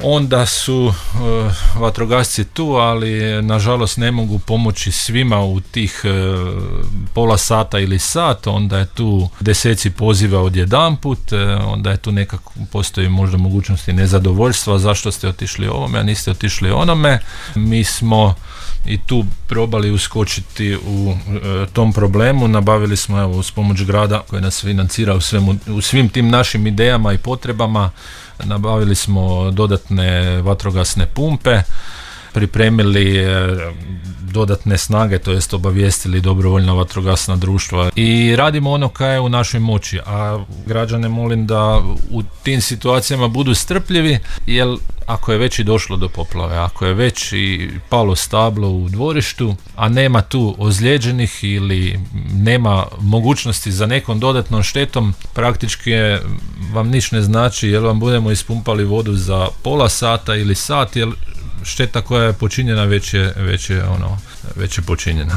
onda su vatrogasci tu, ali nažalost ne mogu pomoći svima u tih pola sata ili sat, onda je tu deseci poziva odjedanput, onda je tu nekako postoji možda mogućnosti nezadovoljstva, zašto ste otišli ovome, a niste otišli onome. Mi smo i tu probali uskočiti u tom problemu, nabavili smo uz pomoć grada koji nas financira u svim tim našim idejama i potrebama, nabavili smo dodatne vatrogasne pumpe, pripremili dodatne snage, to jest obavijestili dobrovoljna vatrogasna društva i radimo ono kaj je u našoj moći, a građane molim da u tim situacijama budu strpljivi, jer ako je već i došlo do poplave, ako je već i palo stablo u dvorištu, a nema tu ozlijeđenih ili nema mogućnosti za nekom dodatnom štetom, praktički vam niš ne znači jer vam budemo ispumpali vodu za pola sata ili sat, jer šteta koja je počinjena već je počinjena.